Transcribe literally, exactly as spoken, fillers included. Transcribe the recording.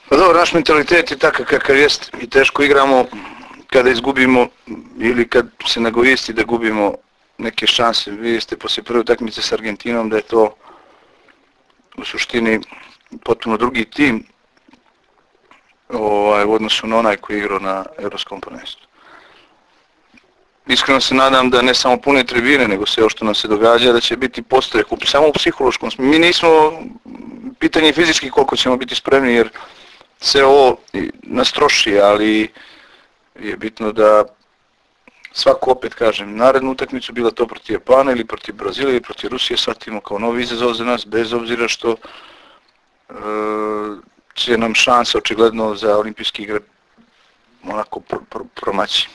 Pa dobro, naš mentalitet je takav kakav jest i teško igramo kada izgubimo ili kad se nagovijesti da gubimo neke šanse. Vi ste poslije prve utakmice s Argentinom da je to u suštini potpuno drugi tim ovaj, u odnosu na onaj koji je igrao na Europskom prvenstvu. Iskreno se nadam da ne samo pune tribine, nego sve ovo što nam se događa, da će biti postrek, samo u psihološkom smislu. Mi nismo, pitanje fizički koliko ćemo biti spremni, jer sve ovo nas troši, ali je bitno da svako, opet kažem, narednu utakmicu, bila to protiv Japana ili protiv Brazila ili protiv Rusije, shvatimo kao novi izazov za nas, bez obzira što e, će nam šansa očigledno za olimpijske igre onako pr pr promaći.